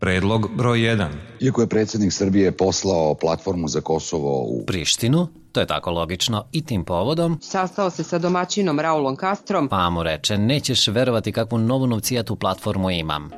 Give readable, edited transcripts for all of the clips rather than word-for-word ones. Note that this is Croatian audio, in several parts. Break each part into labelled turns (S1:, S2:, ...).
S1: Predlog broj 1.
S2: Iako je predsjednik Srbije poslao platformu za Kosovo u
S3: Prištinu, to je tako logično, i tim povodom
S4: sastao se sa domaćinom Raulom Castrom,
S3: pa mu reče, nećeš verovati kakvu novu novcijatu platformu imam.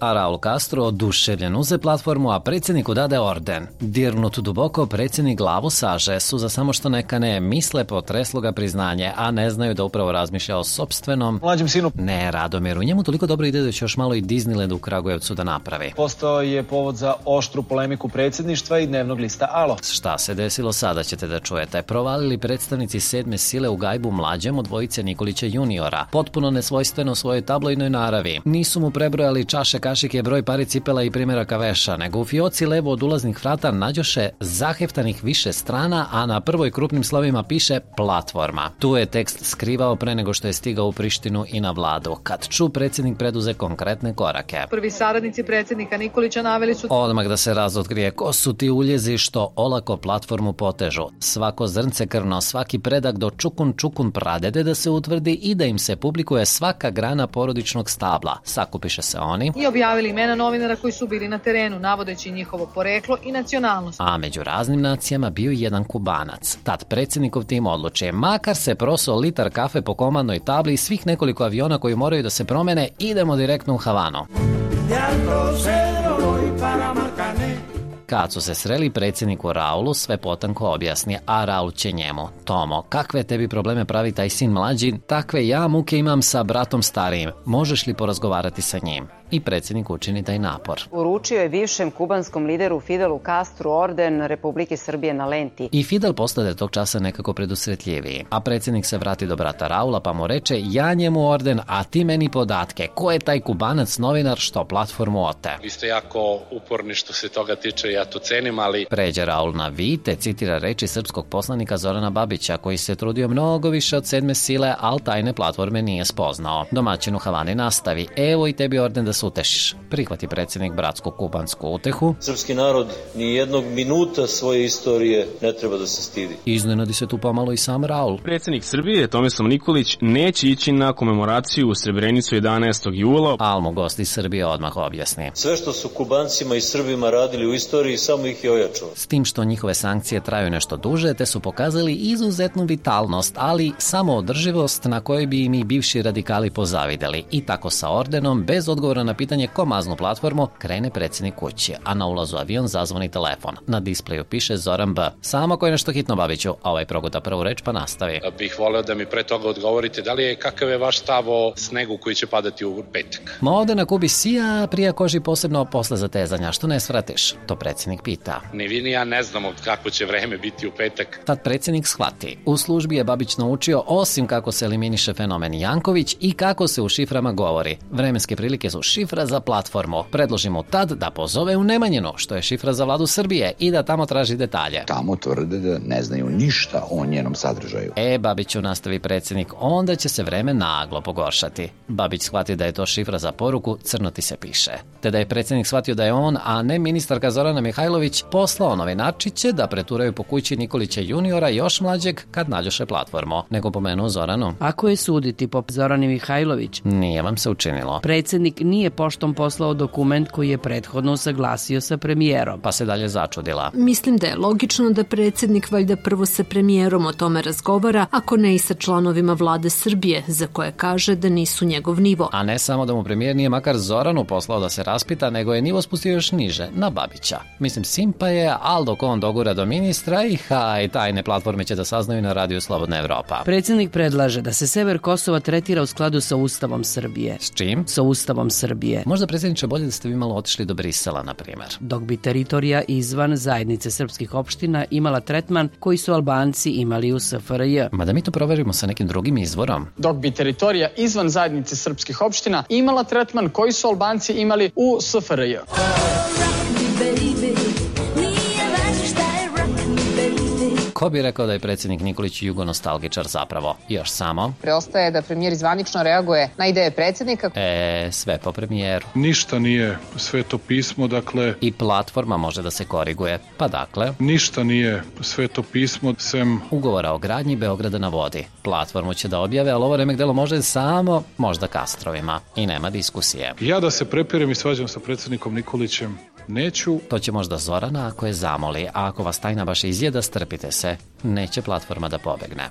S3: A Raul Castro oduševljen uze platformu, a predsjedniku dade orden. Dirnut duboko, predsjednik glavu saže, suza samo što neka ne misle, potreslo ga priznanje, a ne znaju da upravo razmišlja o sopstvenom
S5: mlađem sinu.
S3: Ne, Radomiru, njemu toliko dobro ide da će još malo i Disneyland u Kragujevcu da napravi.
S5: Postao je povod za oštru polemiku predsjedništva i dnevnog lista Alo.
S3: Šta se desilo sada ćete da čujete. Provalili predstavnici 7. sile u gajbu mlađem od dvojice Nikolića juniora, potpuno nesvojstveno svojoj tabloidnoj naravi. Nisu mu prebrojali čaše, kašike, broj pari cipela i primjeraka veša, nego u fioci levo od ulaznih vrata nađoše zaheftanih više strana, a na prvoj krupnim slovima piše platforma. Tu je tekst skrivao pre nego što je stigao u Prištinu i na vladu. Kad ču, predsjednik preduze konkretne korake.
S6: Prvi saradnici predsjednika Nikolića naveli su
S3: odmah da se razotkrije ko su ti uljezi što olako platformu potežu. Svako zrnce krvno, svaki predak do čukun pradede da se utvrdi i da im se publikuje svaka grana porodičnog stabla. Sakupiše se oni
S6: i objavili imena novinara koji su bili na terenu, navodeći njihovo poreklo i nacionalnost.
S3: A među raznim nacijama bio i jedan Kubanac. Tad predsjednikov tim odluči, makar se prosao litar kafe po komandnoj tabli i svih nekoliko aviona koji moraju da se promene, idemo direktno u Havanu. Kad su se sreli, predsjedniku Raulu sve potanko objasni, a Raul će njemu. Tomo, kakve tebi probleme pravi taj sin mlađi, takve ja muke imam sa bratom starijim. Možeš li porazgovarati sa njim? I predsjednik učini taj napor.
S7: Uručio je bivšem kubanskom lideru Fidelu Castru orden Republike Srbije na lenti.
S3: I Fidel postade tog časa nekako predusretljiviji. A predsjednik se vrati do brata Raula pa mu reče, ja njemu orden, a ti meni podatke. Ko je taj Kubanac novinar što platformu ote?
S8: Vi ste jako uporni što se toga tiče, ja to cenim, ali...
S3: Pređe Raul na vi, te citira reči srpskog poslanika Zorana Babića, koji se trudio mnogo više od 7. sile, ali tajne platforme nije spoznao. Domaćin u Havani nastavi, evo i tebi orden da se utešiš. Prihvati predsjednik bratsku kubansku utehu.
S9: Srpski narod ni jednog minuta svoje istorije ne treba da se stidi.
S3: Iznenadi se tu pomalo i sam Raul.
S10: Predsjednik Srbije Tomislav Nikolić neće ići na komemoraciju u Srebrenicu 11. jula.
S3: Al mu gost iz Srbije odmah objasni.
S9: Sve što su Kubancima i Srbima radili u istoriji samo ih je ojačalo.
S3: S tim što njihove sankcije traju nešto duže, te su pokazali izuzetnu vitalnost, ali samoodrživost na kojoj bi im i bivši radikali pozavideli. I tako sa ordenom, bez odgovora na pitanje ko maznu platformu, krene predsjednik kući, a na ulazu avion zazvoni telefon. Na displeju piše Zoran B. Samo ko je nešto hitno, Babiću, a ovaj proguta prvu reč pa nastavi.
S8: Bih voleo da mi pre toga odgovorite kakav je vaš stav o snegu koji će padati u petak.
S3: Ma ovde na Kubi sija, prija koži posebno posle zatezanja, što ne svratiš? To predsjednik pita.
S8: Ni vi ni ja ne znamo kako će vreme biti u petak.
S3: Tad predsjednik shvati. U službi je Babić naučio osim kako se eliminiše fenomen Janković i kako se u šiframa govori. Vremenske prilike su šifra za platformu. Predloži mu tad da pozove u Nemanjinu, što je šifra za vladu Srbije, i da tamo traži detalje.
S2: Tamo tvrde da ne znaju ništa o njenom sadržaju.
S3: Babiću, nastavi predsjednik, onda će se vreme naglo pogoršati. Babić shvati da je to šifra za poruku, crno ti se piše. Te da je predsjednik shvatio da je on, a ne ministarka Zorana Mihajlović, poslao novinarčiće da preturaju po kući Nikolića juniora još mlađeg kad nađoše platformu. Nego pomenuo Zoranu.
S11: Ako je suditi po Zorani Mihajlović,
S3: nije vam se učinilo.
S11: Predsjednik nije poštom poslao dokument koji je prethodno usaglasio sa premijerom.
S3: Pa se dalje začudila.
S12: Mislim da je logično da predsjednik valjda prvo sa premijerom o tome razgovara, ako ne i sa članovima vlade Srbije, za koje kaže da nisu njegov nivo.
S3: A ne samo da mu premijer nije makar Zoranu poslao da se raspita, nego je nivo spustio još niže, na Babića. Mislim, simpa je, al dok on dogura do ministra i tajne platforme će da saznaju na radiju Slobodna Evropa.
S11: Predsjednik predlaže da se sever Kosova tretira u skladu sa Ustavom Srbije.
S3: S čim?
S11: Sa Ustavom Srbije.
S3: Možda, predsjedniče, bolje da ste vi malo otišli do Brisela, na primjer.
S11: Dok bi teritorija izvan zajednice srpskih opština imala tretman koji su Albanci imali u SFRJ.
S3: Ma da mi to proverimo sa nekim drugim izvorom.
S5: Dok bi teritorija izvan zajednice srpskih opština imala tretman koji su Albanci imali u SFRJ.
S3: Ko bi rekao da je predsjednik Nikolić jugonostalgičar zapravo? Još samo.
S1: Preostaje da premijer zvanično reaguje na ideje predsjednika.
S3: Sve po premijeru.
S13: Ništa nije sveto pismo, dakle...
S3: I platforma može da se koriguje. Pa dakle...
S13: Ništa nije sveto pismo, sem...
S3: Ugovora o gradnji Beograda na vodi. Platformu će da objave, ali ovo remek delo može samo možda Kastrovima. I nema diskusije.
S13: Ja da se prepirem i svađam sa predsjednikom Nikolićem neću.
S3: To će možda Zorana ako je zamoli, a ako vas tajna baš izjeda, strpite se. Neće platforma da pobegne.